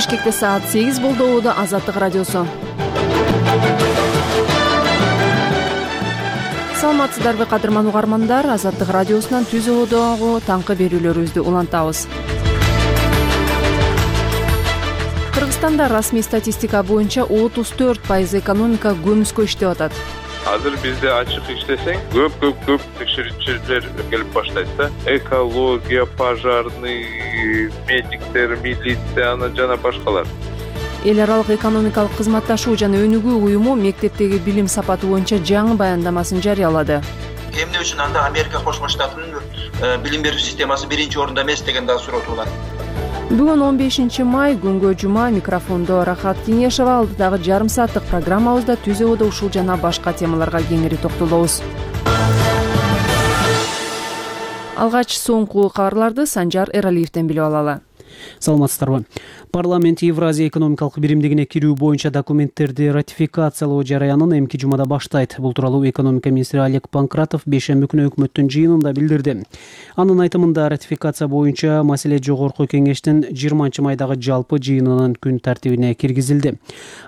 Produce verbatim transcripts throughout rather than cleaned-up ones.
Бишкекте саат сегиз болду. Убада Азаттык радиосу. Саламатсыздарбы кадырман угармандар? Азаттык радиосунан түз убадагы таңкы берүүлөрүбүздү улантабыз. Кыргызстанда расмий статистика боюнча отуз төрт пайыз экономика көмүскө иштеп атат. Азыр бизде ачык иштесең, көп көп көп текшерүүчүлөр келип баштайт да. Экология, пожарный, медиктер, милиция, ана жана башкалар. Эл аралык экономикалык кызматташуу жана өнүгүү уюму мектептеги билим сапаты боюнча жаңы баяндамасын жарыялады. Эмне үчүн анда Америка Кошмо Штатынын билим берүү системасы биринчи орунда эмес деген да суроо турган. Бүгүн он бешинчи май күнгө жума. Микрофондо Рахат Кеңешова, алдыдагы жарым сааттык программабызда түз убада ушул жана башка темаларга кеңири токтолобуз. Алгач соңку кабарларды Санжар Эралиевден билип алалы. Саламатсыздарбы. Парламент Евразия экономикалык биримдигине кирүү боюнча документтерди ратификациялоо жараянын эмки жумада баштайт. Бул тууралуу экономика министри Олег Панкратов бейшемби күнү өкмөттүн жыйынында билдирди. Анын айтымында ратификация боюнча маселе жогорку кеңештин жыйырманчы майдагы жалпы жыйынынын күн тартибине киргизилди.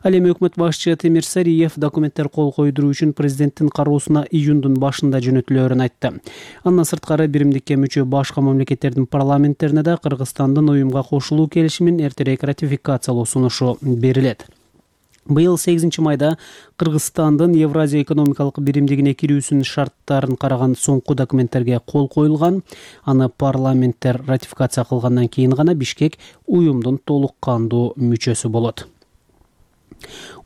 Ал эми өкмөт башчы Темир Сариев документтер кол койдуруу үчүн президенттин кароосуна июндун башында жөнөтүлөөрүн айтты. Андан сырткары биримдикке мүчө башка мамлекеттердин парламенттерине да Кыргызстандын уюмга кошулуу келишимин эртерээк ратификациялоо сунушу берилет. Быйыл сегизинчи майда Кыргызстандын Евразия экономикалык биримдигине кирүүсүнүн шарттарын караган соңку документтерге кол коюлган. Аны парламенттер ратификация кылгандан кийин гана Бишкек уюмдун толук кандуу мүчөсү болот.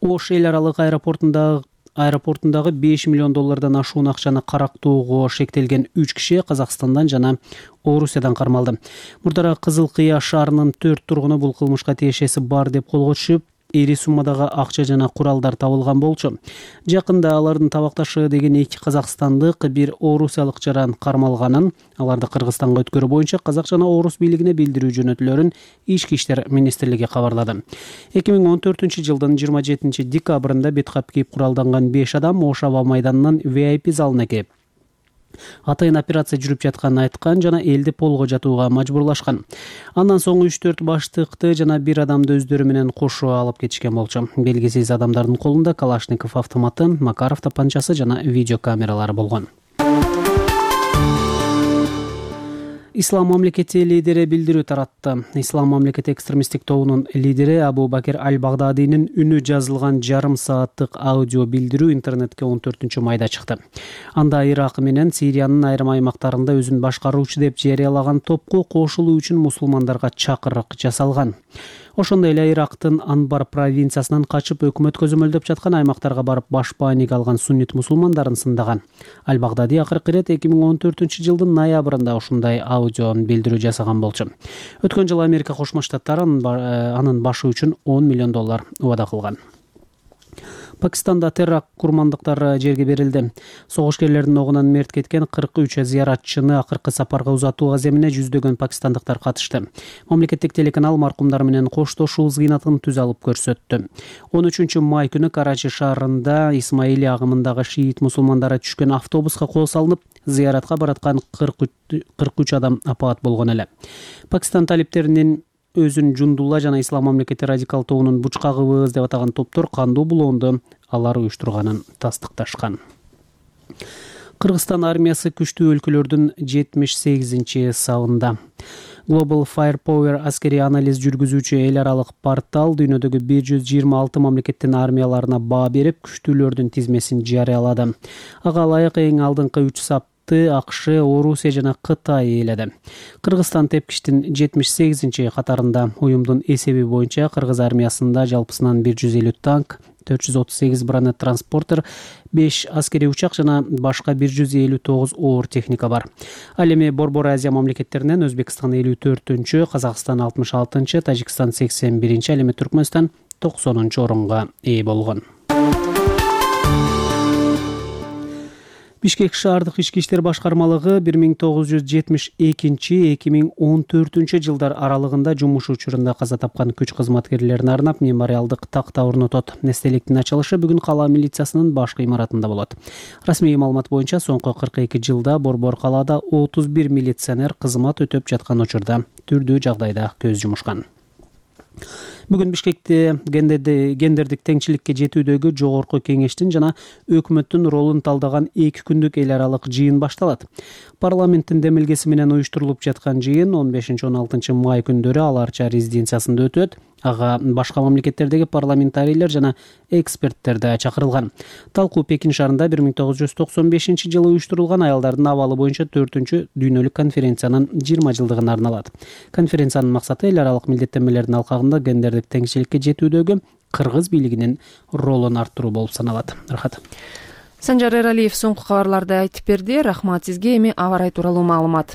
Ош эл аралык аэропортунда аэропортундагы беш миллион доллардан ашуун акчаны карактоого шектелген үч киши Казакстандан жана Орусиядан кармалды. Мурдара Кызыл Кыя шаарынын төрт тургуну бул кылмышка тиешеси бар деп колго түшүп, ири суммадагы акча жана куралдар табылган болчу. Жакында алардын табакташы деген эки казакстандык, бир орусиялык жаран кармалганын, аларды Кыргызстанга өткөрүү боюнча казак жана орус бийлигине билдирүү жөнөтүлөрүн Ички иштер министрлиги кабарлады. эки миң он төртүнчү жылдын жыйырма жетинчи декабрында бет кап кийип куралданган беш адам Ош аба майданынын ви ай пи залына келип атайын операция жүрүп жатканын айткан жана элди полго жатууга мажбурлашкан. Андан соң үч төрт баштыкты жана бир адамды өздөрү менен кошо алып кетишкен болчу. Белгисиз адамдардын колунда Калашников автоматы, Макаров тапанчасы жана видеокамералары болгон. Ислам мамлекети лидери билдирүү таратты. Ислам мамлекети экстремисттик тобунун лидери Абу Бакир Аль-Багдадинин үнү жазылган жарым сааттык аудио билдирүү интернетке он төртүнчү майда чыкты. Анда Ирак менен Сириянын айрым аймактарында өзүн башкаруучу деп жарыялаган топко кошулуу үчүн мусулмандарга чакырык жасалган. Ошондой эле Ирактын Анбар провинциясынан качып өкмөт көзөмөлдөп жаткан аймактарга барып башпааниг алган суннит мусулмандарын сындаган. Аль-Багдади акыркы ирет эки миң он төртүнчү жылдын ноябрында ушундай аудио билдирүү жасаган болчу. Өткөн жылы Америка Кошмо Штаттары анын башы үчүн он миллион доллар убада кылган. Пакистанда терракт курмандыктары жерге берилди. Согушкерлердин огунан мерт кеткен кырк үч зыяратчыны акыркы сапарга узатуу аземине жүздөгөн пакистандыктар катышты. Мамлекеттик телеканал маркумдар менен коштошуу зыйнатын түз алып көрсөттү. он үчүнчү май күнү Карачи шаарында Исмаили агымындагы шиит мусулмандары түшкөн автобуска кол салынып, зыяратка бараткан кырк үч адам апаат болгон эле. Пакистан талиптеринин өзүн Жундулла жана Ислам мамлекети радикал тобунун бучкагыбыз деп атаган топтор кандуу булоонду алар уюштурганын тастыкташкан. Кыргызстан армиясы күчтүү өлкөлөрдүн жетимиш сегизинчи сабында. Global Firepower аскери анализ жүргүзүүчү эл аралык портал дүйнөдөгү бир жүз жыйырма алты мамлекеттин армияларына баа берип, күчтүүлөрдүн тизмесин жарыялады. Ага ылайык эң алдыңкы үч сап АКШ, Орусия жана Кытай ээледи. Кыргызстан тепкичтин жетимиш сегизинчи катарында. Уюмдун эсеби боюнча кыргыз армиясында жалпысынан бир жүз элүү танк, төрт жүз отуз сегиз бронет транспортер, беш аскери учак жана башка бир жүз элүү тогуз оор техника бар. Ал эми Борбор Азия мамлекеттеринен Өзбекстан элүү төртүнчү, Казакстан алтымыш алтынчы, Тажикстан сексен биринчи, ал эми Түркмөнстан токсонунчу орунга ээ болгон. Бишкек шаардык ички иштер башкармалыгы бир миң тогуз жүз жетимиш экинчи — эки миң он төртүнчү жылдар аралыгында жумуш учурунда каза тапкан күч кызматкерлерине арнап мемориалдык такта орнотот. Эстеликтин ачылышы бүгүн кала милициясынын башкы имаратында болот. Расмий маалымат боюнча соңку кырк эки жылда Борбор калаада отуз бир милиционер кызмат өтөп жаткан учурда түрдүү жагдайда көз жумушкан. Бүгүн Бишкекте гендердик теңчиликке жетүүдөгү жогорку кеңештин жана өкмөттүн ролун талдаган эки күндүк эл аралык жыйын башталат. Парламенттин демилгеси менен уюштурулуп жаткан жыйын он бешинчи он алтынчы май күндөрү Ала Арча резиденциясында өтөт. Ага башка мамлекеттердеги парламентарийлер жана эксперттер да чакырылган. Талкуу Пекин шаарында бир миң тогуз жүз токсон бешинчи жылы уюштурулган аялдардын абалы боюнча төртүнчү дүйнөлүк конференциянын жыйырма жылдыгына арналат. Конференциянын максаты эл аралык милдеттенмелердин алкагында гендердик теңчиликке жетүүдөгү кыргыз бийлигинин ролун арттыруу болуп саналат. Рахат. Санжар Эралиев соңку кабарларды айтып берди. Рахмат сизге. Эми аба ырайы тууралуу маалымат.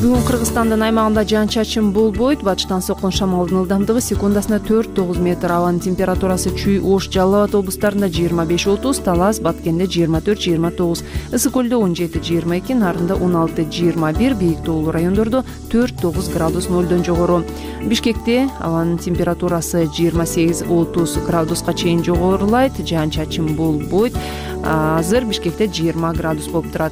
Бүгүн Кыргызстандын аймагында жаан-чачын болбойт. Батыштан соккон шамалдын ылдамдыгы секундасына төрт тогуз метр. Абанын температурасы Чүй, Ош, Жалал Абад облустарында жыйырма беш отуз, Талас, Баткенде жыйырма төрт жыйырма тогуз, Ысык көлдө он жети жыйырма эки, Нарында он алты жыйырма бир, бийик тоолуу райондордо төрт тогуз градус нолдон жогору. Бишкекте абанын температурасы жыйырма сегиз отуз градуска чейин жогорулайт. Жаан-чачын болбойт. Азыр Бишкекте жыйырма градус болуп турат.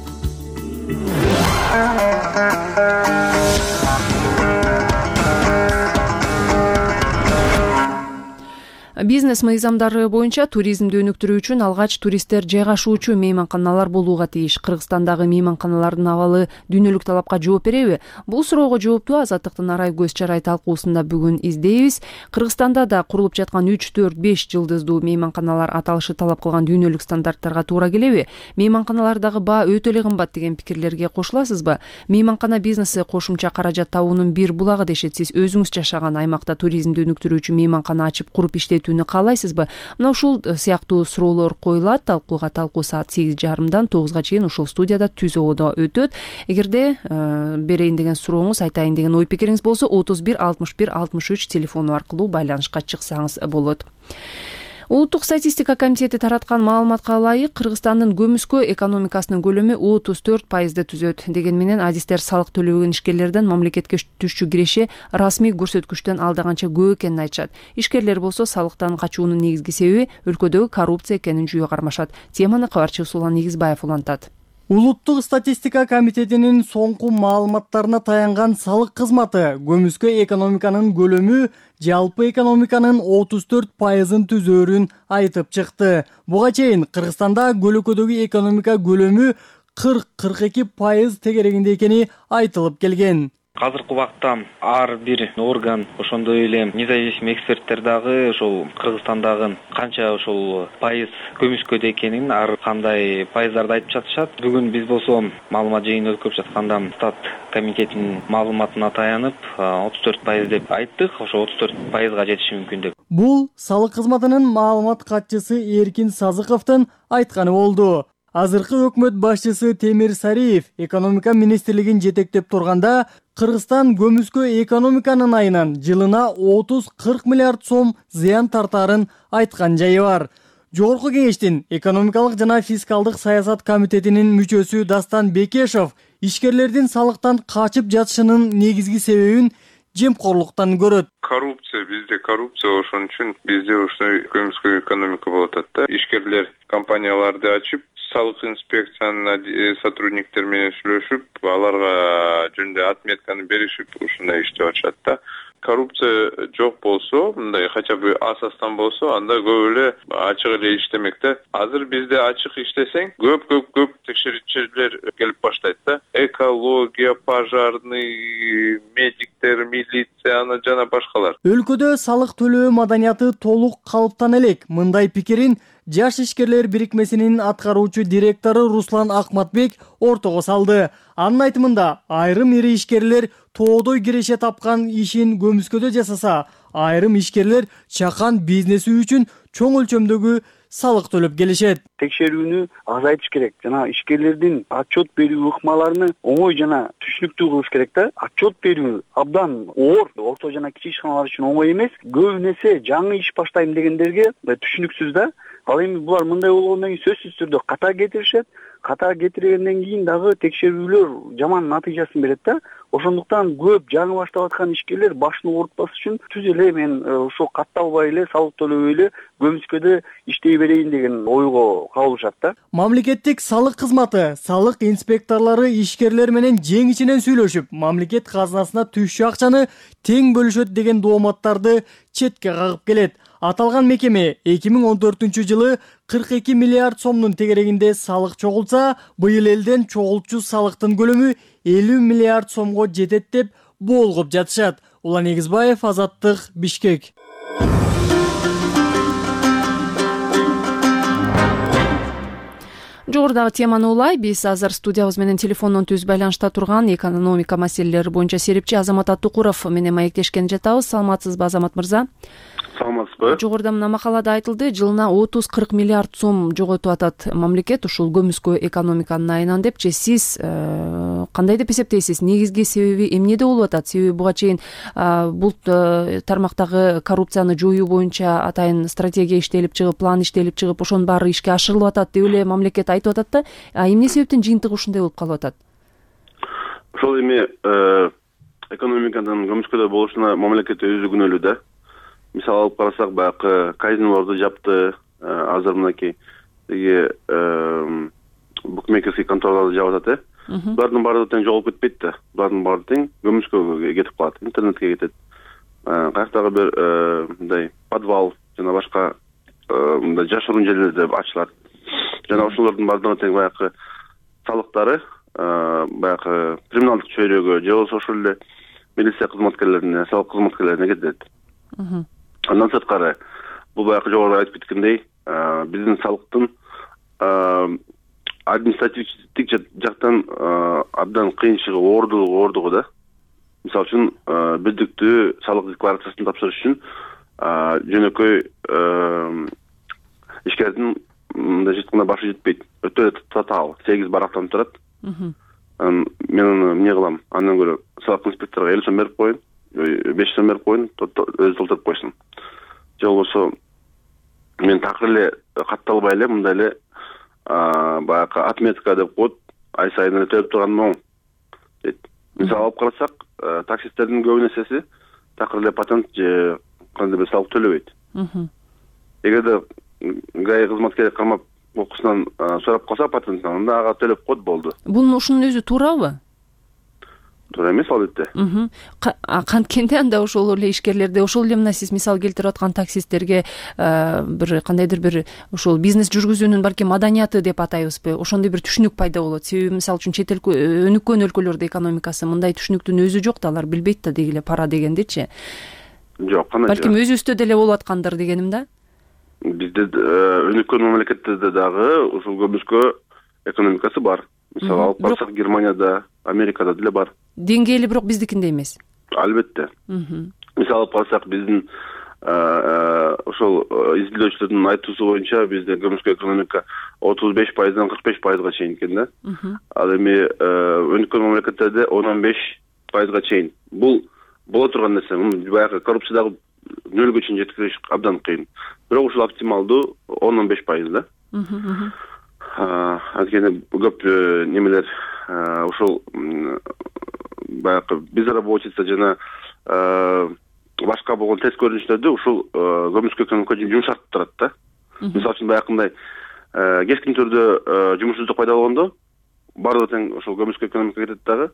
Бизнес мыйзамдары боюнча туризмди өнүктүрүү үчүн алгач туристтер жайгашуучу мейманканалар болууга тийиш. Кыргызстандагы мейманканалардын абалы дүйнөлүк талапка жооп береби? Бул суроого жоопту Азаттыктын арай көз чарай талкуусунда бүгүн издейбиз. Кыргызстанда да курулуп жаткан үч, төрт, беш жылдыздуу мейманканалар аталышы талап кылган дүйнөлүк стандарттарга туура келеби? Мейманканалардагы баа өтө эле кымбат деген пикирлерге кошуласызбы? Мейманкана бизнеси кошумча каражат табуунун бир булагы дешет. Сиз өзүңүз жашаган аймакта туризмди өнүктүрүү үчүн мейманкана ачып куруп иштетүүнү каалайсызбы? Мына ушул сыяктуу суроолор коюлат. Талкууга талкуу саат сегиз жарымдан тогузга чейин ушул студияда Түз Ободо өтөт. Эгерде э, берейин деген сурооңуз, айтайын деген ой пикириңиз болсо отуз бир алтымыш бир алтымыш үч телефону аркылуу байланышка чыксаңыз болот. Улуттук статистика комитети тараткан маалыматка ылайык Кыргызстандын көмүскө экономикасынын көлөмү отуз төрт пайызды түзөт. Деген менен адистер салык төлөбөгөн ишкерлерден мамлекетке түшчү киреше расмий көрсөткүчтөн алдаганча көп экенин айтышат. Ишкерлер болсо салыктан качуунун негизги себеби өлкөдөгү коррупция экенин жүйө кармашат. Теманы кабарчы Усулан Нигизбаев улантат. Улуттук статистика комитетинин соңку маалыматтарына таянган салык кызматы көмүскө экономиканын көлөмү жалпы экономиканын отуз төрт пайызын түзөөрүн айтып чыкты. Буга чейин Кыргызстанда көлөкөдөгү экономика көлөмү кырк кырк эки пайыз тегерегинде экени айтылып келген. Азыркы убакта ар бир орган, ошондой эле независимый эксперттер дагы ошол Кыргызстандагы канча ошол пайыз көмүскөдө экенин, ар кандай пайыздарды айтып жатышат. Бүгүн биз болсо маалымат жыйыны өткөрүп жатканда стат комитетинин маалыматына таянып отуз төрт пайыз деп айттык. Ошо отуз төрт пайызга жетиши мүмкүн деп. Бул салык кызматынын маалымат катчысы Эркин Сазыковдун айтканы болду. Азыркы өкмөт башчысы Темир Сариев экономика министрлигин жетектеп турганда Кыргызстан көмүскө экономиканын айынан жылына отуз кырк миллиард сом зыян тартаарын айткан жайы бар. Жогорку кеңештин экономикалык жана фискалдык саясат комитетинин мүчөсү Дастан Бекешов ишкерлердин салыктан качып жатышынын негизги себебин жемкорлуктан көрөт. Коррупция, бизде коррупция, ошон үчүн бизде ушундай көмүскө экономика болуп атат да. Ишкерлер компанияларды ачып, салык инспекциянын сотрудниктер менен сүйлөшүп, аларга жөнүндө отметканы беришип, ушундай иштеп атышат да. Коррупция жок болсо, мындай хотя бы асастан болсо, анда көп эле ачык эле иштемек да. Азыр бизде ачык иштесең, көп көп көп текшерүүчүлөр келип баштайт да. Экология, пожарный, медиктер, милиция жана башкалар. Өлкөдө салык төлөө маданияты толук калыптан элек. Мындай пикирин Жаш ишкерлер бирикмесинин аткаруучу директору Руслан Акматбек ортого салды. Анын айтымында айрым ири ишкерлер тоодой киреше тапкан ишин көмүскөдө жасаса, айрым ишкерлер чакан бизнеси үчүн чоң өлчөмдөгү салык төлөп келишет. Текшерүүнү азайтыш керек. Жана ишкерлердин отчет берүү ыкмаларını оңой жана түшүнүктүү кылыш керек да. Отчет берүү абдан оор, орто жана кичи ишканалар үчүн оңой эмес. Көбүнесе жаңы иш баштайм дегендерге түшүнүксүз да. Ал эми булар мындай болгондон кийин сөзсүз түрдө ката кетиришет. Ката кетиргенден кийин дагы текшерүүлөр жаман натыйжасын берет да. Ошондуктан көп жаңы баштап аткан ишкерлер башын оорутпас үчүн түз эле мен ошо катталбай эле салык төлөбөй эле көмүскөдө иштей берейин деген ойго кабылышат да. Мамлекеттик салык кызматы салык инспекторлору ишкерлер менен жең ичинен сүйлөшүп, мамлекет казынасына түшчү акчаны тең бөлүшөт деген дооматтарды четке кагып келет. Аталган мекеме эки миң он төртүнчү жылы кырк эки миллиард сомдун тегерегинде салык чогулса, быйыл элден чогулчу салыктын көлөмү элүү миллиард сомго жетет деп боолгоп жатышат. Улан Эгизбаев, Азаттык, Бишкек. Жогорудагы теманы улай, биз азыр студиябыз менен телефондон түз байланышта турган экономика маселелери боюнча серепчи Азамат Аттукуров менен маектешкен жатабыз. Саламатсызбы, Азамат мырза? Саламатсызбы? Жогоруда мына макалада айтылды, жылына отуз кырк миллиард сом жоготуп атат мамлекет ушул көмүскө экономиканын айынан депчи. Сиз кандай деп эсептейсиз? Негизги себеби эмнеде болуп атат? Себеби буга чейин бул тармактагы коррупцияны жоюу боюнча атайын стратегия иштелип чыгып, план иштелип чыгып, ошонун баары ишке ашырылып атат деп эле мамлекет айтып атат да. А эмне себептен жыйынтыгы ушундай болуп калып атат? Ошол эми экономиканын көмүскөдө болушуна мамлекет өзү күнөөлүү да. Мисалы алып карасак, баягы казинолорду жапты, азыр мынакей тиги букмекерский контораларды жаап атат, э. Булардын баары тең жоголуп кетпейт да. Булардын баары тең көмүскөгө кетип калат, интернетке кетет. Каяктагы бир мындай подвал жана башка мындай жашыруун жерлерде ачылат. Жана ошолордун баардыгы тең баягы салыктары, баягы криминалдык чөйрөгө же болбосо ошол эле милиция кызматкерлерине, салык кызматкерлерине кетет. Андан сырткары, бул баягы жогоруда айтып кеткендей, биздин салыктын административдик жактан абдан кыйын чыгып, оордугу оордугу да. Мисалы үчүн, бирдиктүү салык декларациясын тапшырыш үчүн жөнөкөй ишкердин мындай жыткына башы жетпейт. Өтө эле татаал, сегиз барактан турат. Мен аны эмне кылам? Андан көрө салык инспекторго элүү сом берип коеюн, беш сом берип коеюн, өзү толтуруп койсун. Же болбосо мен такыр эле катталбай эле мындай эле баягы отметка деп коет, ай сайын эле төлөп турганым оң дейт. Мисалы алып карасак, таксисттердин көп нерсеси такыр эле патент же кандай бир салык төлөбөйт. Эгерде ГАИ кызматкери кармап окуусунан сурап калса патенттен, анда ага төлөп коет, болду. Бул ушунун өзү туурабы? Туура эмес, албетте. Канткенде анда ошол эле ишкерлерде, ошол эле мына сиз мисал келтирип аткан таксисттерге бир кандайдыр бир ошол бизнес жүргүзүүнүн балким маданияты деп атайбызбы, ошондой бир түшүнүк пайда болот. Себеби мисалы үчүн чет эл өнүккөн өлкөлөрдө экономикасы мындай түшүнүктүн өзү жок да, алар билбейт да деги эле пара дегендичи. Жок, кандай жок. Балким өзүбүздө деле болуп аткандыр дегеним да. Бизде өнүккөн мамлекеттерде дагы ушул көмүскө экономикасы бар. Мисалы алып карасак, Германияда, Америкада деле бар. Деңгээли бирок биздикиндей эмес. Албетте. Мисалы алып карасак, биздин ошол изилдөөчүлөрдүн айтуусу боюнча бизде көмүскө экономика отуз беш пайыздан кырк беш пайызга чейин экен да. Ал эми өнүккөн мамлекеттерде он беш пайызга чейин. Бул боло турган нерсе. Баягы коррупциядагы нөлгө чейин жеткириш абдан кыйын. Бирок ушул оптималдуу он беш пайыз да. Анткени көп немелер ошол баягы безработица жана башка болгон терс көрүнүштөрдү ушул көмүскө экономика жумшартып турат да. Мисалы үчүн баягындай кескин түрдө жумушсуздук пайда болгондо баардыгы тең ошол көмүскө экономика кетет дагы.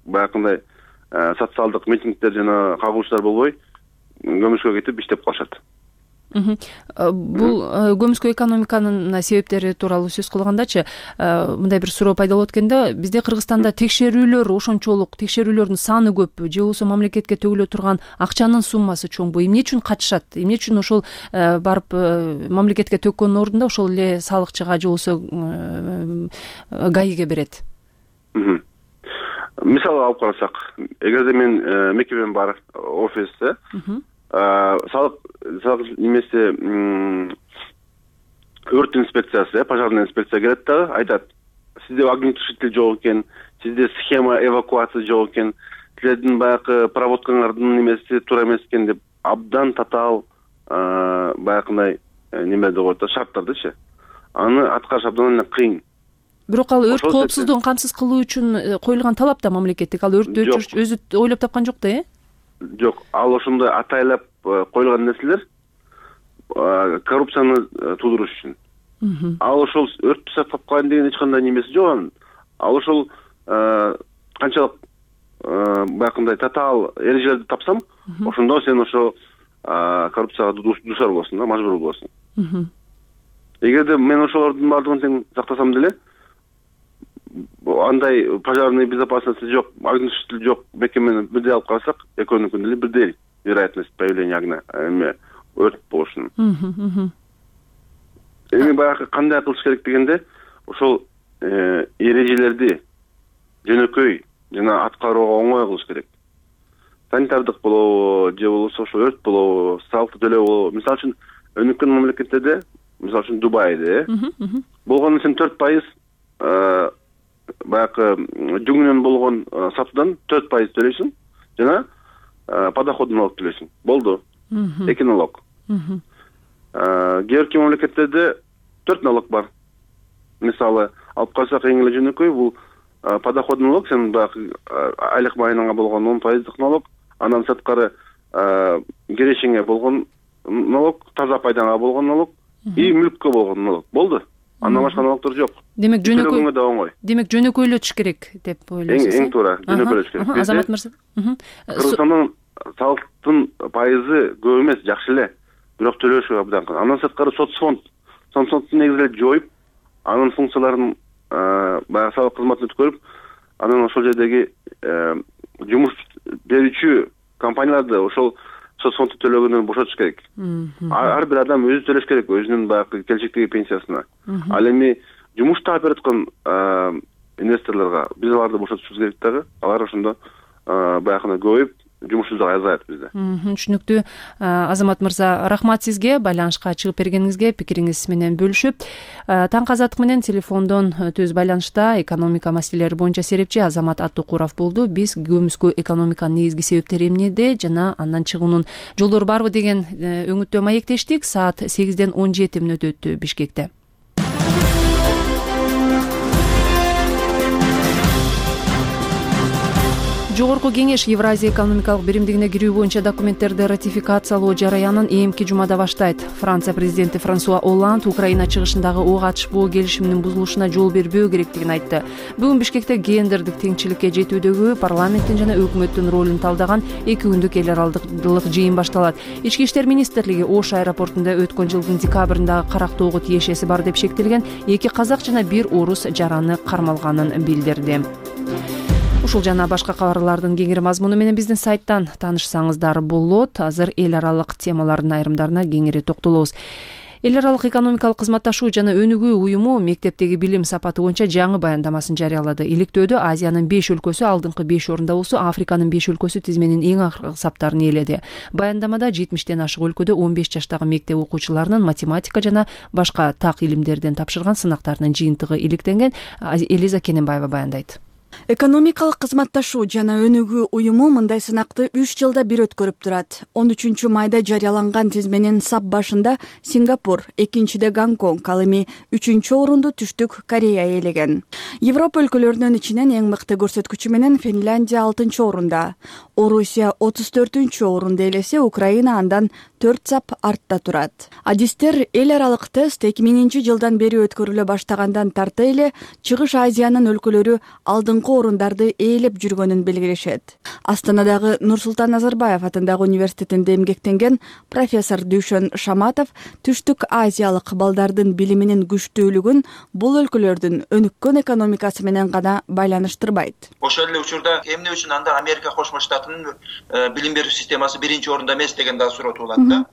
Баягындай социалдык митингдер жана кагылыштар болбой көмүскө кетип иштеп калышат. Бул көмүскө экономиканын себептери тууралуу сөз кылгандачы, мындай бир суроо пайда болот экен да. Бизде Кыргызстанда текшерүүлөр ошончолук, текшерүүлөрдүн саны көппү же болбосо мамлекетке төгүлө турган акчанын суммасы чоңбу? Эмне үчүн катышат? Эмне үчүн ошол барып мамлекетке төккөндүн ордунда ошол эле салыкчыга же болбосо ГАИге берет? Мисалы алып карасак, эгерде мен мекемем бар, офисте салык салык немесе өрт инспекциясы, пожарный инспекция келет да, айтат: сизде огнетушитель жок экен, сизде схема эвакуация жок экен, силердин баягы проводкаңардын немеси туура эмес экен деп абдан татаал баягындай неме деп коет да, шарттардычы аны аткарыш абдан эле кыйын. Бирок ал өрт коопсуздугун камсыз кылуу үчүн коюлган талап да мамлекеттик. Ал өрттү өчүрүш өзү ойлоп тапкан жок да, э? Жок, ал ошондой атайлап коюлган нерселер коррупцияны туудуруш үчүн. Ал ошол өрттү сактап калайын деген эч кандай немеси жок анын. Ал ошол канчалык баягындай татаал эрежелерди тапсам, ошондо сен ошо коррупцияга дуушар болосуң да, мажбур болосуң. Эгерде мен ошолордун баардыгын тең сактасам деле, андай пожарный безопасности жок, огнетушитель жок мекемени бирдей алып карасак, экөөнүкүн деле бирдей вероятность появления огня, эме өрт болушунун. Эми баягы кандай кылыш керек дегенде, ошол эрежелерди жөнөкөй жана аткарууга оңой кылыш керек. Санитардык болобу, же болбосо ошо өрт болобу, салыкты төлөө болобу. Мисалы үчүн өнүккөн мамлекеттерде, мисалы үчүн Дубайда, болгону сен төрт пайыз баягы жүгүнөн болгон сатуудан төрт пайыз төлөйсүң жана подоходный налог төлөйсүң. Болду. Эки налог. Кээ бир мамлекеттерде төрт налог бар. Мисалы, алып карасак эң эле жөнөкөй бул подоходный налог, сен баягы айлык майнаңа болгон он пайыздык налог, андан сырткары керешеңе болгон налог, таза пайдаңа болгон налог и мүлккө болгон налог. Болду. Андан башка налогдор жок. Демек жөнөкөй да оңой. Демек жөнөкөйлөтүш керек деп ойлойсуз. Эң туура, жөнөкөйлөтүш керек. Азамат мырза. Кыргызстандын салыктын пайызы көп эмес, жакшы эле. Бирок төлөшү абдан кыйын. Андан сырткары соцфонд, соцфондду негизделеп жоюп, анын функцияларын баягы салык кызматын өткөрүп, анан ошол жердеги жумуш берүүчү компанияларды ошол соцфондду төлөгөндөн бошотуш керек. Ар бир адам өзү төлөш керек, өзүнүн баягы келечектеги пенсиясына. Ал эми жумушта берип аткан инвесторлорго биз аларды бошотушубуз керек дагы. Алар ошондо баягы көбөйүп, жумушубуз азаят бизде. Түшүнүктүү. Азамат мырза, рахмат сизге байланышка чыгып бергениңизге, пикириңиз менен бөлүшүп. Таңкы азаттык менен телефондон түз байланышта экономика маселелери боюнча серепчи Азамат Аттукуров болду. Биз көмүскө экономиканын негизги себептери эмнеде жана андан чыгуунун жолдору барбы деген өңүттөө маектештик. Саат сегизден он жети мүнөт өттү Бишкекте. Жогорку кеңеш Евразия экономикалык биримдигине кирүү боюнча документтерди ратификациялоо жараянын эмки жумада баштайт. Франция президенти Франсуа Олланд Украина чыгышындагы ок атышпоо келишиминин бузулушуна жол бербөө керектигин айтты. Бүгүн Бишкекте гендердик теңчиликке жетүүдөгү парламенттин жана өкмөттүн ролун талдаган эки күндүк эл аралык жыйын башталат. Ички иштер министрлиги Ош аэропортунда өткөн жылдын декабрындагы карактоого тиешеси бар деп шектелген эки казак жана бир орус жараны кармалганын билдирди. Ушул жана башка кабарлардын кеңири мазмуну менен биздин сайттан таанышсаңыздар болот. Азыр эл аралык темалардын айрымдарына кеңири токтолобуз. Эл аралык экономикалык кызматташуу жана өнүгүү уюму мектептеги билим сапаты боюнча жаңы баяндамасын жарыялады. Иликтөөдө Азиянын беш өлкөсү алдыңкы беш орунда болсо, Африканын беш өлкөсү тизменин эң акыркы саптарын ээледи. Баяндамада жетимиштен ашык өлкөдө он беш жаштагы мектеп окуучуларынын математика жана башка так илимдерден тапшырган сынактарынын жыйынтыгы иликтенген. Элиза Кененбаева баяндайт. Экономикалык кызматташуу жана өнүгүү уюму мындай сынакты үч жылда бир өткөрүп турат. он үчүнчү майда жарыяланган тизменин сап башында Сингапур, экинчиде Гонконг, ал эми үчүнчү орунду Түштүк Корея ээлеген. Европа өлкөлөрүнүн ичинен эң мыкты көрсөткүчү менен Финляндия алтынчы орунда. Орусия отуз төртүнчү орунду ээлесе, Украина андан төрт сап артта турат. Адистер эл аралык тест эки миңинчи жылдан бери өткөрүлө баштагандан тарта эле Чыгыш Азиянын өлкөлөрү алдыңкы орундарды ээлеп жүргөнүн белгилешет. Астанадагы Нурсултан Назарбаев атындагы университетинде эмгектенген профессор Дүйшөн Шаматов Түштүк Азиялык балдардын билиминин күчтүүлүгүн бул өлкөлөрдүн өнүккөн экономикасы менен гана байланыштырбайт. Ошол эле учурда эмне үчүн анда Америка Кошмо Штатынын билим берүү системасы биринчи орунда эмес деген да суроо туулат да.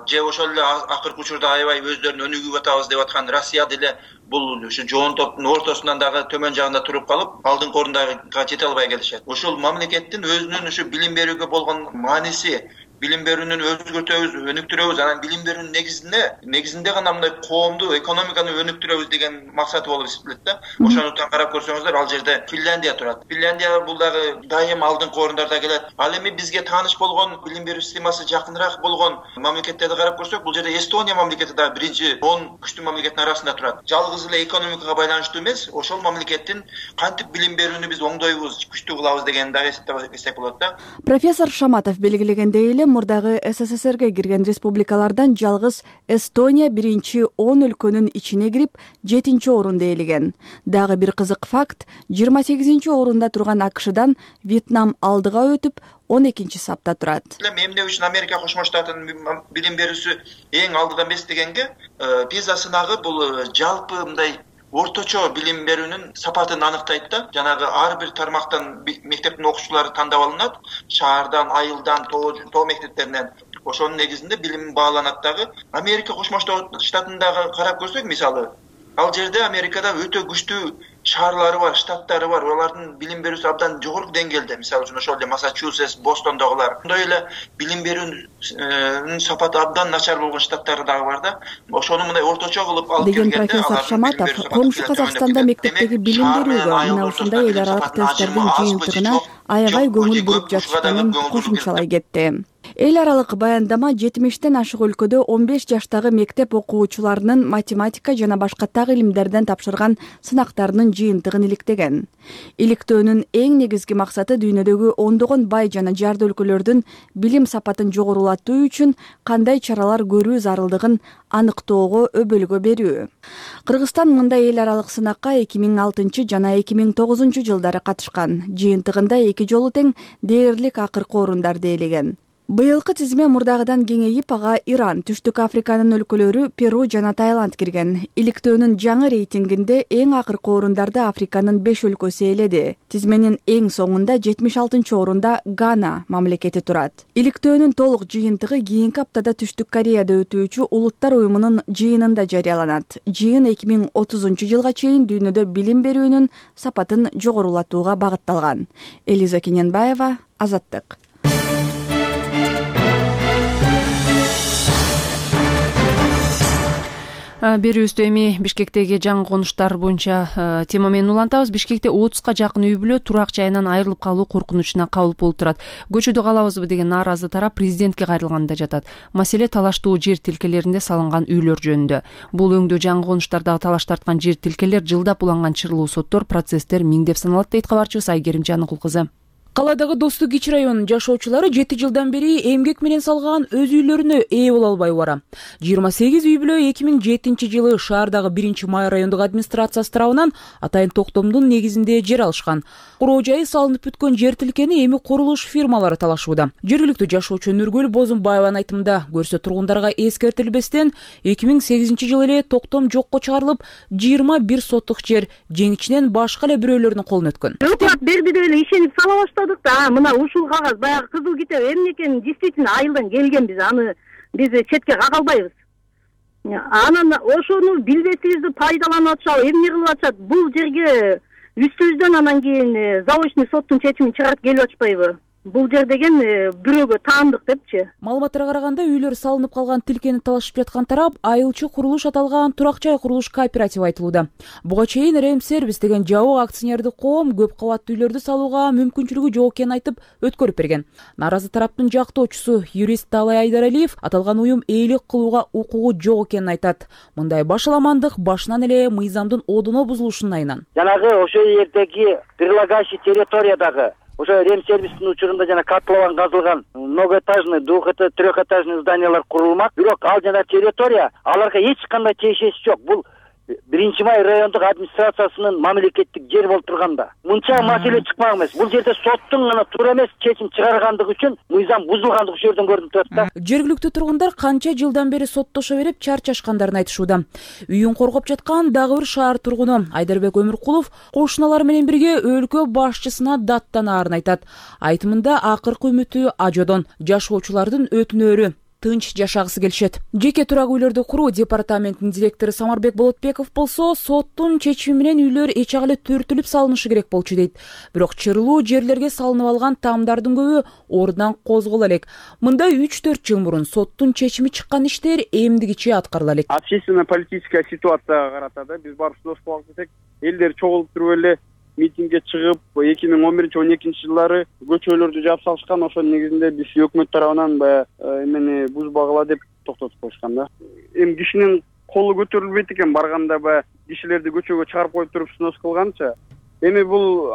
Же ошол эле акыркы учурда аябай өздөрүн өнүгүп атабыз деп аткан Россия деле бул ушу жоон топтун ортосунан дагы төмөн жагында туруп калып, алдыңкы орундага жете албай келишет. Ошол мамлекеттин өзүнүн ушу билим берүүгө болгон мааниси билим берүүнү өзгөртөбүз, өнүктүрөбүз. Анан билим берүүнүн негизинде негизинде гана мындай коомду, экономиканы өнүктүрөбүз деген максаты болуп эсептелет да. Ошондуктан карап көрсөңүздөр, ал жерде Финляндия турат. Финляндия бул дагы дайым алдыңкы орундарда келет. Ал эми бизге тааныш болгон, билим берүү системасы жакыныраак болгон мамлекеттерди карап көрсөк, бул жерде Эстония мамлекети дагы биринчи он күчтүү мамлекеттин арасында турат. Жалгыз эле экономикага байланыштуу эмес, ошол мамлекеттин кантип билим берүүнү биз оңдойбуз, күчтүү кылабыз дегенди дагы эсептесек болот да. Профессор Шаматов белгилегендей эле, мурдагы СССРге кирген республикалардан жалгыз Эстония биринчи он өлкөнүн ичине кирип, жетинчи орунду ээлеген. Дагы бир кызык факт, жыйырма сегизинчи орунда турган АКШдан Вьетнам алдыга өтүп, он экинчи сапта турат. Эмне үчүн Америка Кошмо Штатынын билим берүүсү эң алдыда эмес дегенге, PISA сынагы бул жалпы мындай орточо билим берүүнүн сапатын аныктайт да. Жанагы ар бир тармактан мектептин окуучулары тандап алынат, шаардан, айылдан, тоо мектептеринен. Ошонун негизинде билим бааланат дагы. Америка Кошмо Штатындагы карап көрсөк, мисалы, ал жерде Америкада өтө күчтүү шаарлары бар, штаттары бар. Алардын билим берүүсү абдан жогорку деңгээлде. Мисалы үчүн ошол эле Массачусетс, Бостондогулар. Ошондой эле билим берүүнүн сапаты абдан начар болгон штаттары дагы бар да. Ошону мындай орточо кылып алып келгенде, деген профессор Шаматов, коңшу Казакстанда мектептеги билим берүүгө мына ушундай эл аралык тесттердин жыйынтыгына аябай көңүл буруп жатышканын кошумчалай кетти. Эл аралык баяндама жетимиштен ашык өлкөдө он беш жаштагы мектеп окуучуларынын математика жана башка так илимдерден тапшырган сынактарынын жыйынтыгын иликтеген. Иликтөөнүн эң негизги максаты дүйнөдөгү ондогон бай жана жарды өлкөлөрдүн билим сапатын жогорулатуу үчүн кандай чаралар көрүү зарылдыгын аныктоого өбөлгө берүү. Кыргызстан мындай эл аралык сынакка эки миң алтынчы жана эки миң тогузунчу жылдары катышкан. Жыйынтыгында эки жолу тең дээрлик акыркы орундарды ээлеген. Быйылкы тизме мурдагыдан кеңейип, ага Иран, Түштүк Африканын өлкөлөрү, Перу жана Таиланд кирген. Иликтөөнүн жаңы рейтингинде эң акыркы орундарды Африканын беш өлкөсү ээледи. Тизменин эң соңунда жетимиш алтынчы орунда Гана мамлекети турат. Иликтөөнүн толук жыйынтыгы кийинки аптада Түштүк Кореяда өтүүчү Улуттар уюмунун жыйынында жарыяланат. Жыйын эки миң отузунчу жылга чейин дүйнөдө билим берүүнүн сапатын жогорулатууга багытталган. Элиза Кененбаева, Азаттык. Берүүбүздү эми Бишкектеги жаңы конуштар боюнча тема менен улантабыз. Бишкекте отузга жакын үй бүлө турак жайынан айрылып калуу коркунучуна кабыл болуп турат. Көчөдө калабызбы деген нааразы тарап президентке кайрылганда жатат. Маселе талаштуу жер тилкелеринде салынган үйлөр жөнүндө. Бул өңдө жаңы конуштардагы талаш тарткан жер тилкелер жылдап уланган чырлуу соттор, процесстер миңдеп саналат дейт кабарчыбыз Айгерим Жаныкул кызы. Калаадагы Достук Кич районунун жашоочулары жети жылдан бери эмгек менен салган өз үйлөрүнө ээ боло албай бара. жыйырма сегиз үй бүлө эки миң жетинчи жылы шаардагы биринчи май райондук администрациясы тарабынан атайын токтомдун негизинде жер алышкан. Куроо жайы салынып бүткөн жер тилкени эми курулуш фирмалары талашууда. Жергиликтүү жашоочу Нургүл Бозумбаеванын айтымында, көрсө тургундарга эскертилбестен эки миң сегизинчи жылы эле токтом жокко чыгарылып, жыйырма бир соттук жер жеңичинен башка эле бирөөлөрдүн колуна өткөн. Өкмөт берди эле ишенип сала баштадык да, мына ушул кагаз баягы кызыл китеп эмне экенин действительно айылдан келгенбиз, аны биз четке кага албайбыз. Анан ошону билбесибизди пайдаланып атышат, эмне кылып атышат? Бул жерге үстүбүздөн анан кийин заочный соттун чечимин чыгарып келип атышпайбы? Бул жер деген бирөөгө таандык депчи. Маалыматтарга караганда, үйлөр салынып калган тилкени талашып жаткан тарап айылчы курулуш аталган турак жай курулуш кооперативи айтылууда. Буга чейин Рем Сервис деген жабык акционердик коом көп кабаттуу үйлөрдү салууга мүмкүнчүлүгү жок экенин айтып өткөрүп берген. Наразы тараптын жактоочусу юрист Талай Айдаралиев аталган уюм ээлик кылууга укугу жок экенин айтат. Мындай башаламандык башынан эле мыйзамдын одоно бузулушунун айынан. Жанагы ошол жердеги прилагающий территориядагы ошо Рем Сервистин учурунда жана котлован казылган многоэтажный, двухэтажный, трехэтажный зданиялар курулмак. Бирок ал жана территория аларга эч кандай тиешеси жок. Бул биринчи май райондук администрациясынын мамлекеттик жер болуп турганда. Мынча маселе чыкмак эмес. Бул жерде соттун гана туура эмес чечим чыгаргандыгы үчүн мыйзам бузулгандыгы ушул жерден көрүнүп турат да. Жергиликтүү тургундар канча жылдан бери соттошо берип чарчашкандарын айтышууда. Үйүн коргоп жаткан дагы бир шаар тургуну Айдарбек Өмүркулов кошуналары менен бирге өлкө башчысына даттанаарын айтат. Айтымында акыркы үмүтү ажодон, жашоочулардын өтүнөрү тынч жашагысы келишет. Жеке турак үйлөрдү куруу департаментинин директору Самарбек Болотбеков болсо, соттун чечими менен үйлөр эч ак эле төртүлүп салынышы керек болчу дейт. Бирок чырлуу жерлерге салынып алган таамдардын көбү ордунан козголо элек. Мында үч төрт жыл мурун соттун чечими чыккан иштер эмдигиче аткарыла элек. Общественно политическая ситуацияга карата да биз барып сүйлөшүп калган десек, элдер чогулуп туруп эле митингге чыгып, эки миң он биринчи он экинчи жылдары көчөлөрдү жаап салышкан. Ошонун негизинде биз өкмөт тарабынан баягы эмени бузбагыла деп токтотуп коюшкан да. Эми кишинин колу көтөрүлбөйт экен, барганда баягы кишилерди көчөгө чыгарып коюп туруп снос кылганча. Эми бул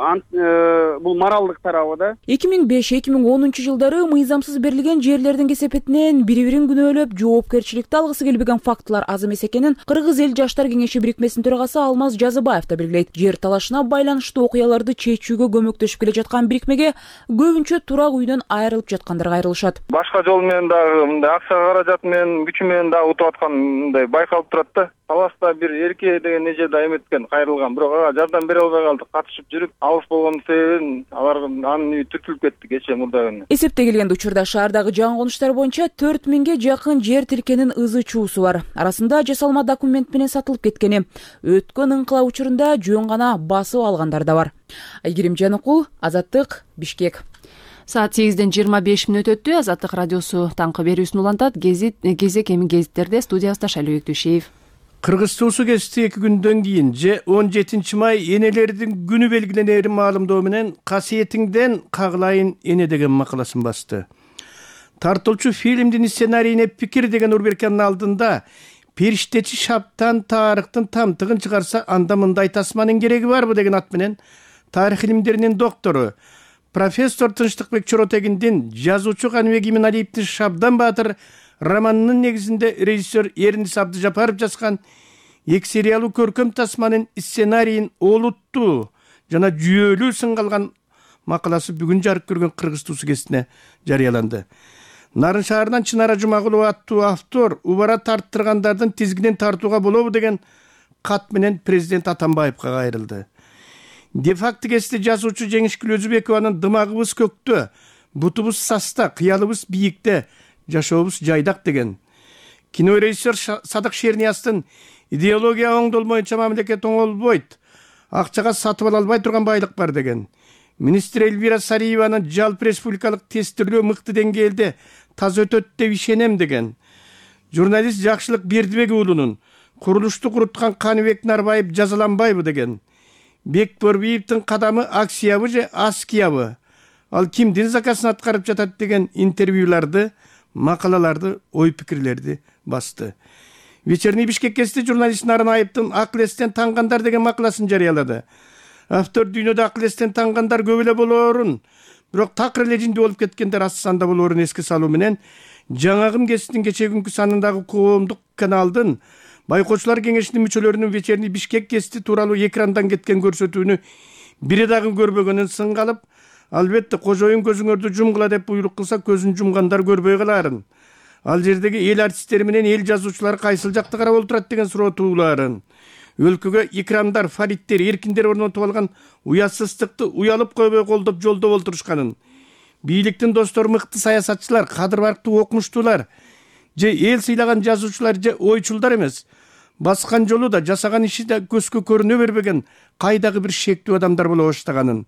бул моралдык тарабы да. эки миң беш эки миң онунчу жылдары мыйзамсыз берилген жерлердин кесепетинен бири-бирин күнөөлөп жоопкерчиликти алгысы келбеген фактылар аз эмес экенин Кыргыз эл жаштар кеңеши бирикмесинин төрагасы Алмаз Жазыбаев да белгилейт. Жер талашына байланыштуу окуяларды чечүүгө көмөктөшүп келе жаткан бирикмеге көбүнчө турак үйдөн айрылып жаткандар кайрылышат. Башка жол менен дагы мындай акча каражат менен, күч менен дагы утуп аткан мындай байкалып турат да. Таласта бир эрке деген эже да эметкен, кайрылган, бирок ага жардам бере албай калдык. Катышып жүрүп, алыс болгон себебин алар анын үйү түртүлүп кетти кечээ мурда күнү. Эсептегилген учурда шаардагы жаңы конуштар боюнча төрт миңге жакын жер тилкенин ызы чуусу бар. Арасында жасалма документ менен сатылып кеткени, өткөн ыңкылап учурунда жөн гана басып алгандар да бар. Айгерим Жаныкул, Азаттык, Бишкек. Саат сегизден жыйырма беш мүнөт өттү. Азаттык радиосу таңкы берүүсүн улантат. Гезит кезек эми гезиттерде студиясында Шайлоо Өктүшеев. Кыргыз туусу кести эки күндөн кийин же он жетинчи май энелердин күнү белгиленерин маалымдоо менен касиетиңден кагылайын эне деген макаласын басты. Тартылчу фильмдин сценарийине пикир деген рубриканын алдында периштечи шаптан тарыхтын тамтыгын чыгарса анда мындай тасманын кереги барбы деген ат менен тарых илимдеринин доктору профессор Тынчтыкбек Чоротегиндин жазуучу Каныбек Иминалиевдин Шабдан Баатыр романынын негизинде режиссер Эрнис Абдыжапаров жазган эки сериялуу көркөм тасманын сценарийин олуттуу жана жүйөлүү сынгалган макаласы бүгүн жарык көргөн Кыргыз туусу гезитине жарыяланды. Нарын шаарынан Чынара Жумагулова аттуу автор убара тарттыргандардын тизгинин тартууга болобу деген кат менен президент Атамбаевга кайрылды. Де-факто гезити жазуучу Жеңишкүл Өзүбекованын дымагыбыз көктө, бутубуз саста, кыялыбыз бийикте, жашообуз жайдак деген. Кинорежиссер Садык Шерниястын идеология оңдолмойча мамлекет оңолбойт, акчага сатып ала албай турган байлык бар деген. Министр Эльвира Сариеванын жалпы республикалык тестирлөө мыкты деңгээлде таза өтөт деп ишенем деген. Журналист Жакшылык Бердибек уулунун курулушту куруткан Каныбек Нарбаев жазаланбайбы деген. Бек Борбиевдин кадамы акциябы же аскиябы? Ал кимдин заказын аткарып жатат деген интервьюларды, макалаларды, ой пикирлерди басты. Вечерний Бишкек гезити журналист Нарын Айыптын акыл эстен таңгандар деген макаласын жарыялады. Автор дүйнөдө акыл эстен таңгандар көп эле болоорун, бирок такыр эле жинди болуп кеткендер аз санда болоорун эске салуу менен жаңагым гезитинин кечээ күнкү санындагы коомдук каналдын байкоочулар кеңешинин мүчөлөрүнүн Вечерний Бишкек гезити тууралуу экрандан кеткен көрсөтүүнү бири дагы көрбөгөнүн сынгалып, албетте кожоюн көзүңөрдү жумгула деп буйрук кылса көзүн жумгандар көрбөй калаарын. Ал жердеги эл артисттери менен эл жазуучулары кайсыл жакта карап отурат деген суроо туулаарын. Өлкөгө икрамдар, фариттер, эркиндер орнотуп алган уятсыздыкты уялып койбой колдоп жолдоп олтурушканын. Бийликтин достору мыкты саясатчылар, кадыр барктуу окумуштуулар же эл сыйлаган жазуучулар же ойчулдар эмес. Баскан жолу да жасаган иши да көзгө көрүнө бербеген кайдагы бир шектүү адамдар боло баштаганын.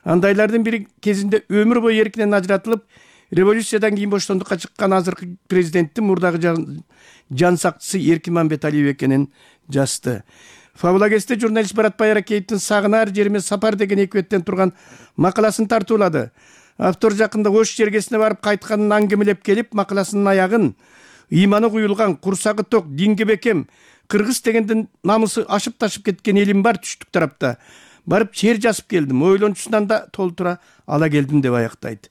Андайлардын бири кезинде өмүр бою эркинен ажыратылып, революциядан кийин боштондукка чыккан азыркы президенттин мурдагы жан сакчысы Эркин Мамбеталиев экенин жазды. Фабула гезити журналист Барат Байракеевдин Сагынаар жериме сапар деген эки беттен турган макаласын тартуулады. Автор жакында Ош жергесине барып кайтканын аңгемелеп келип, макаласынын аягын ыйманы куюлган, курсагы ток, динге бекем, кыргыз дегендин намысы ашып ташып кеткен элим бар түштүк тарапта. Барып чер жазып келдим, ойлончусунан да толтура ала келдим деп аяктайт.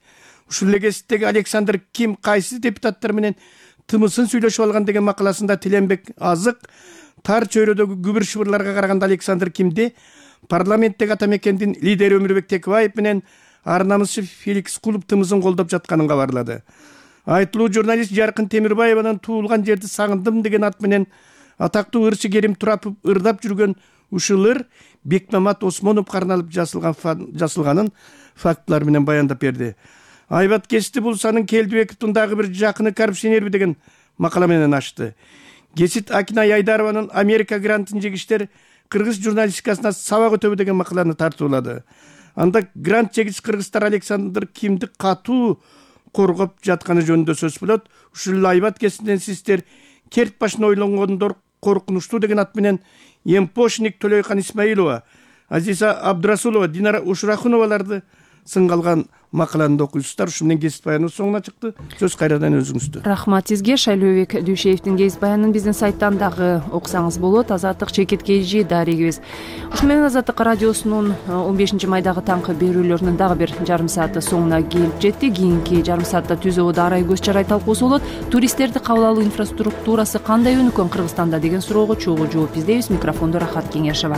Ушул эле гезиттеги Александр Ким кайсы депутаттар менен тымысын сүйлөшүп алган деген макаласында Тиленбек Азык тар чөйрөдөгү күбүр шыбырларга караганда Александр Кимди парламенттеги ата мекендин лидери Өмүрбек Текебаев менен арнамызчы Феликс Кулуп тымызын колдоп жатканын кабарлады. Айтылуу журналист Жаркын Темирбаеванын туулган жерди сагындым деген ат менен атактуу ырчы Керим Турапов ырдап жүргөн ушул ыр Бекмамат Осмонов карналып жасылган жасылганын фактылар менен баяндап берди. Айбат Кести Булсанын Келдибековдун дагы бир жакыны коррупционерби деген макала менен ачты. Кесит Акинай Айдарованын Америка грантын жегиштер кыргыз журналистикасына сабак өтөбү деген макаланы тартуулады. Анда грант жегич кыргыздар Александр Кимди катуу коргоп жатканы жөнүндө сөз болот. Ушул Айбат Кестиден сиздер керт башына ойлонгондор коркунучтуу деген ат менен Емпошник, Төлөйкан Исмаилова, Азиза Абдрасулова, Динара Ушрахуноваларды сынга алган макаланы окуйсуздар. Ушу менен кесип баяныбыз соңуна чыкты. Сөз кайрадан өзүңүздө. Рахмат сизге. Шайлообек Дүйшеевдин кесип баянын биздин сайттан дагы окусаңыз болот. Азаттык Чекит Кежи дарегибиз. Ушу менен Азаттык радиосунун он бешинчи майдагы таңкы берүүлөрүнүн дагы бир жарым сааты соңуна келип жетти. Кийинки жарым саатта Түз абада арай көз чарай талкуусу болот. Туристтерди кабыл алуу инфраструктурасы кандай өнүккөн Кыргызстанда деген суроого чогуу жооп издейбиз. Микрофондо Рахат Кеңешова.